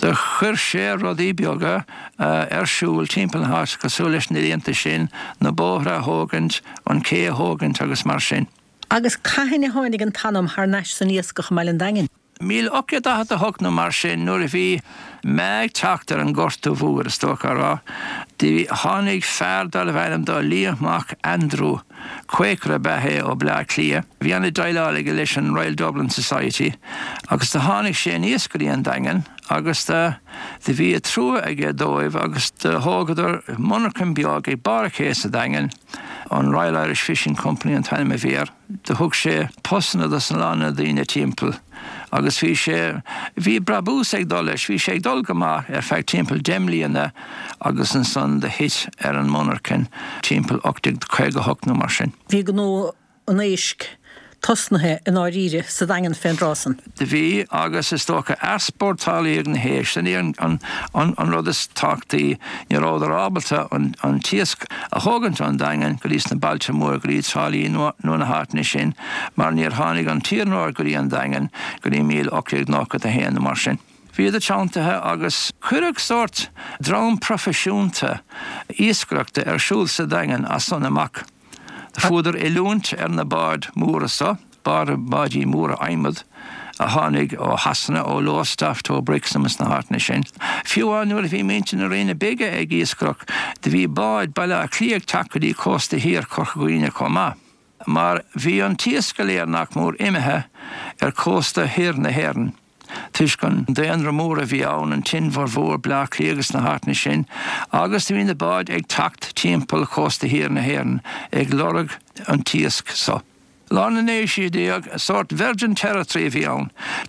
Do chuir sé rudaí beaga ar siúl timpeall na háite cosúil leis na líonta sin, na bóithre a thógaint, an cé a thógaint agus mar sin. Agus cathain a tháinig an t-anam thar n-ais san iascach i mBaile an Daingin? 1848 nó mar sin, nuair a bhí meath ag teacht ar an Ghorta Mhór, is dócha a rá, do tháinig fear darbh ainm dó Liam Mac Aindriú, Quaker ab ea é ó Bleá Cliath, bhí an-déileáil aige leis an Royal Dublin Society, agus do tháinig sé aníos go dtí an Daingean agus do do bhí trua aige dóibh agus do thógadar monarchain beag ag barr an ché sa Daingean, an Royal Irish Fishing Company an t-ainm a bhí air. Do thug sé postanna dos a lán na daoine timpeall agus bhí sé, bhí brabús ag dul leis, bhí sé ag dul go maith ar feadh timpeall deich mbliana agus ansan do thit ar an monarchain timpeall 1858 nó mar sin. Bhí gnó an éisc tosnaithe i ndáiríre sa Daingean fén dtráth san. Do bhí, agus is dócha easpórtálaíodh na héisc. Sin é an rud is tábhachtaí. Ní rabhadar ábalta an t-iasc a thógaint ón Daingean go dtí sna bailte móra, go dtí Trá Lí nó na háiteanna sin, mar níor tháinig an t-iarnród go dtí an Daingean go dtí 1891 nó mar sin. Bhíodar teanntaithe agus cuireadh sórt dream proifisiúnta iascaireachta ar siúl sa Daingean as san amach. Fuadar oiliúint ar na báid mhóra so, báidí móra adhmad a tháinig ó Shasana, ó Lowestoft, ó Brixham is na háiteanna sin. Fiú amháin nuair a bhí muintir na Rinne Bige ag iascaireacht, do bhí báid Baile Átha Cliath ag teacht go dtí cósta thiar Chorca Dhuibhne chomh maith. Mar bhí an t-iasc go léir nach mór imithe ar chósta thoir na hÉireann. toisc an daonra mór a bhí ann, an tInbhear Mhór, Bleá Cliath agus na háiteanna sin, agus do bhí na báid ag teacht timpeall chósta thiar na hÉireann ag lorg an t-iasc so. Lár na naoú haoise déag, sórt virgin territory a bhí ann,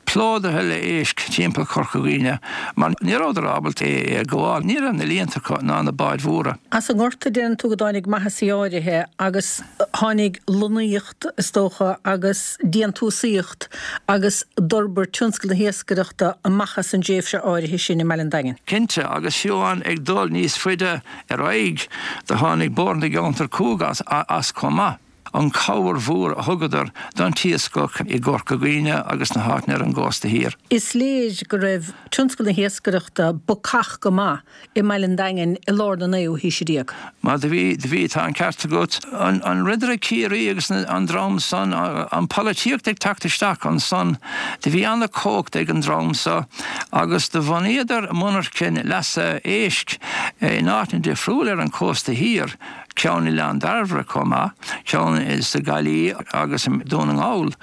plódaithe le éisc timpeall Chorca Dhuibhne, mar ní rabhadar ábalta é a ghabháil, ní raibh na líonta acu ná na báid mhóra. As an nGorta, deireann tú go dtáinig maitheasaí áirithe agus tháinig lonnaíocht, is dócha, agus déantúsaíocht agus d'fhorbair tionscal na hiascaireachta amach as an dtréimhse áirithe sin i mBaile an Daingin. Cinnte, agus fiú amháin ag dul níos faide ar aghaidh, do tháinig Bóthar na gCeantar Cúng as chomh maith. an chabhair mhór a thugadar don t-iascach i gCorca Dhuibhne agus na háiteanna ar an gcósta thiar. Is léir go raibh tionscal na hiascaireachta bacach go maith i mBaile an Daingin i lár na naoú haoise déag. Mar do bhí, do bhí, tá an ceart agat. An Ridire Ciarraí agus an dream san, an polaitíocht ag teacht isteach ansan, do bhí ana-chumhacht ag an dream so agus do bhunaíodar monarchain leasa éisc in áiteanna difriúla ar an chósta thiar, ceann i Oileán Dairbhre chomh maith, ceann sa Ghaillimh agus i nDún na nGall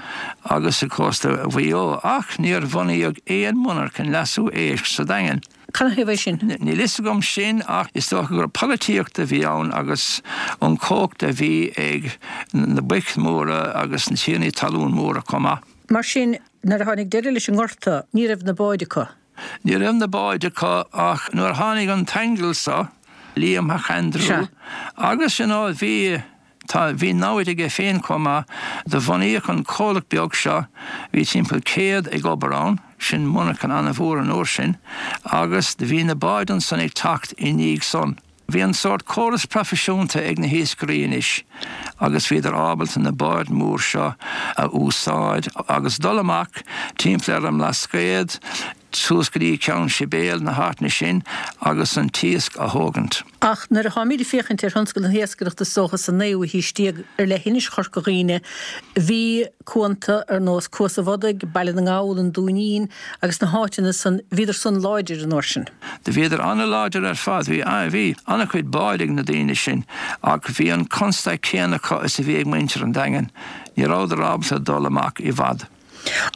agus sa chósta Mhaigh Eo ach níor bhunaíodh aon monarchain leasú éisc sa Daingean. Canathaobh é sin? Níl fhios agam sin ach is dócha gur polaitíocht a bhí ann agus an chumhacht a bhí ag na boic mhóra agus na tiarnaí talún móra chomh maith. Mar sin, nuair a tháinig deireadh leis an nGorta, ní raibh na báid acu. Ní raibh na báid acu ach nuair a tháinig an tAingeal so, Liam Mac Aindriú, agus you know bhí, Tá, bhí namhaid aige féin chomh maith. Do bhunaíodh an comhlacht beag seo, bhí timpeall 100 ag obair ann, sin monarchan ana-mhór an uair sin, agus do bhí na báid ansan ag teacht i ndiaidh san. Bhí an sórt córas proifisiúnta ag na hiascairí anois agus bhíodar ábalta na báid mór seo a úsáid agus dul amach timpeall ar an mBlascaod, suas go dtí Ceann Sibéal, na háiteanna sin, agus an t-iasc a thógaint. Ach nuair a tháimid ag féachaint ar thionscal na hiascaireachta is dócha sa naoú haois déag ar leithinis Chorca Dhuibhne, bhí cuanta ar nós Cuas a' Bhodaigh, Baile na nGall, an Dúinín agus na háiteanna san, bhíodar san láidir an uair sin. Do bhíodar ana-láidir ar fad, bhí, bhí ana-chuid báid ag na daoine sin ach bhí an constaic céanna acu is a bhí ag muintir an Daingin, ní rabhadar ábalta dul amach i bhfad.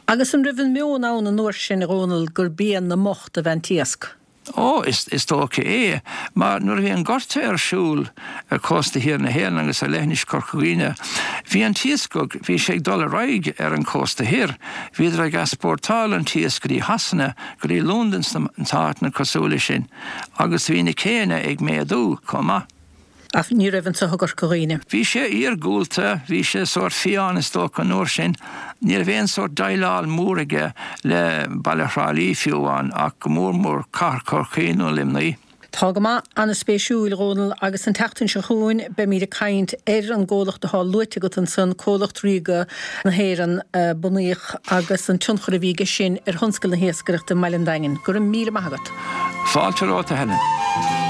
Agus an raibh an meon ann an uair sin, a Dhónaill, gur bia na mbocht ab ea an t-iasc? Ó, is dócha é. Mar nuair a bhí an Gorta ar siúl ar chósta thiar na hÉireann agus ar leithinis Chorca Dhuibhne, bhí an t-iascach, bhí sé ag dul ar aghaidh ar an chósta thoir. Bhíodar ag easpórtáil an t-iasc go dtí Shasana, go dtí Londain sna háiteanna cosúil leis sin. Agus bhí na céanna ag méadú chomh maith. Ach ní raibh anso i gCorca Dhuibhne. Bhí sé iargúlta, bhí sé sórt fiáin is dócha an uair sin. Ní raibh aon sórt déileáil mór aige le baile Thrá Lí fiú amháin ach go mór mór cathair Chorcaí nó Luimnigh. Tá go maith, an-spéisiúil, a Dhónaill, agus an tseachtain seo chugainn beimíd ag caint ar an gcomhlacht atá luaite agat ansan, Comhlacht Ríoga na hÉireann a bunaíodh agus an tionchar a bhí aige sin ar thionscal na hiascaireachta i mBaile an Daingin. Go raibh míle maith agat. Fáilte romhat, a Helen.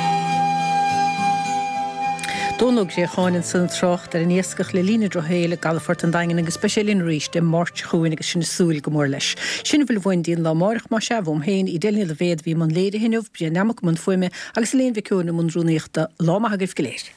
Dónall Ó Préacháin ansan ag trácht ar an iascach le linn an drochshaoil i gcalafort an Daingin agus beidh sé linn arís Dé Máirt seo chugainn agus sinn ag súil go mór leis. Sin a bhfuil uainn dtí'n lá amáireach más ea, uaim féin, Edel Ní Loibhéad a bhí i mbun léirithe inniu, Brian Nammock i mbun fuaime agus Elaine Mhic Eoin i mbun rúnaíochta. Lá maith agaibh go léir.